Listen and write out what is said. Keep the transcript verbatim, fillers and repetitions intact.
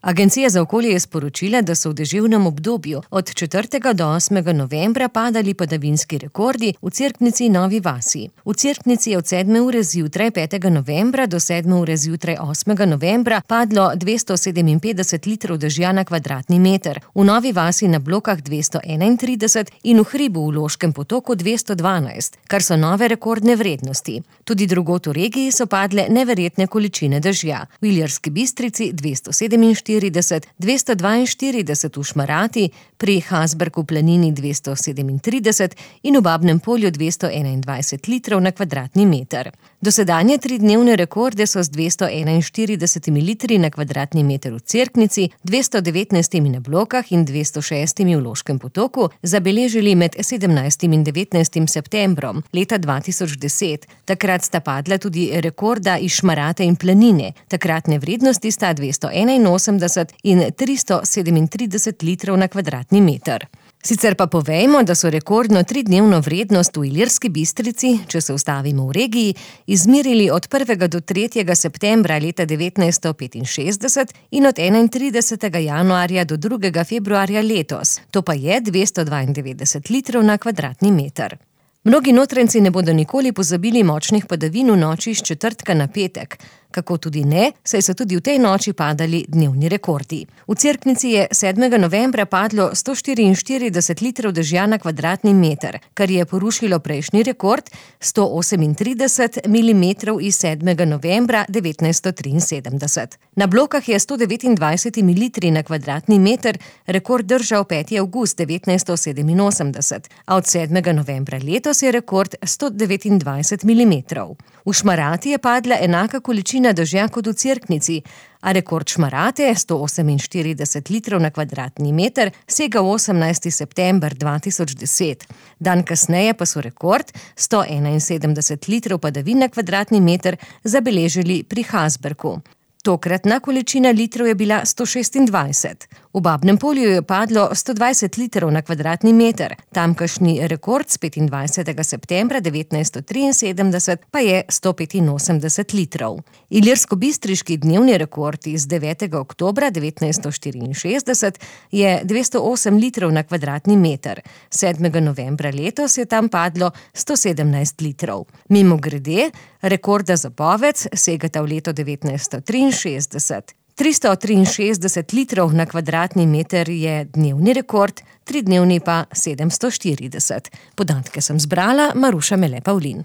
Agencija za okolje je sporočila, da so v deževnem obdobju od četrtega do osmega novembra padali padavinski rekordi v Cerknici in Novi vasi. V Cerknici je od sedme ure zjutraj petega novembra do sedme ure zjutraj osmega novembra padlo dvesto sedeminpetdeset litrov dežja na kvadratni meter, v Novi vasi na Blokah dvesto enaintrideset in v Hribu v Loškem potoku dvesto dvanajst, kar so nove rekordne vrednosti. Tudi drugod v regiji so padle neverjetne količine dežja. V Ilirski Bistrici dvesto sedeminštirideset, dvesto dvainštirideset v Šmarati, pri Hasbergu v Planini dvesto sedemintrideset in v Babnem Polju dvesto enaindvajset litrov na kvadratni meter. Dosedanje tridnevne rekorde so z dvesto enainštiridesetimi litri na kvadratni meter v Cerknici, dvesto devetnajstimi na Blokah in dvesto šestimi v Loškem potoku zabeležili med sedemnajstim in devetnajstim septembrom leta dva tisoč deset. Takrat sta padla tudi rekorda iz Šmarate in Planine. Takratne vrednosti sta dvesto enainosemdeset in tristo sedemintrideset litrov na kvadratni meter. Sicer pa povejmo, da so rekordno tridnevno vrednost v Ilirski Bistrici, če se ustavimo v regiji, izmerili od prvega do tretjega septembra leta devetnajststo petinšestdeset in od enaintridesetega januarja do drugega februarja letos. To pa je dvesto dvaindevetdeset litrov na kvadratni meter. Mnogi notranjci ne bodo nikoli pozabili močnih padavin v noči s četrtka na petek. Kako tudi ne, saj so tudi v tej noči padali dnevni rekordi. V Cerknici je sedmega novembra padlo sto štiriinštirideset litrov dežja na kvadratni meter, kar je porušilo prejšnji rekord sto osemintrideset milimetrov iz sedmega novembra devetnajststo triinsedemdeset. Na Blokah je sto devetindvajset mililitrov na kvadratni meter rekord držal peti avgust devetnajststo sedeminosemdeset, a od sedmega novembra letos je rekord sto devetindvajset milimetrov. V Šmarati je padla enaka količina dežja kot v Cerknici, a rekord Šmarate, sto oseminštirideset litrov na kvadratni meter, sega v osemnajsti september dva tisoč deset. Dan kasneje pa so rekord, sto enainsedemdeset litrov padavin na kvadratni meter, zabeležili pri Hasbergu. Tokratna količina litrov je bila sto šestindvajset. V Babnem Polju je padlo sto dvajset litrov na kvadratni meter. Tamkajšnji rekord s petindvajsetega septembra devetnajststo triinsedemdeset pa je sto petinosemdeset litrov. Ilirskobistriški dnevni rekord iz devetega oktobra devetnajststo štiriinšestdeset je dvesto osem litrov na kvadratni meter. sedmega novembra letos je tam padlo sto sedemnajst litrov. Mimogrede, rekorda za Bovec segata v leto devetnajststo triinšestdeset. tristo triinšestdeset litrov na kvadratni meter je dnevni rekord, tridnevni pa sedemsto štirideset. Podatke sem zbrala Maruša Mele Pavlin.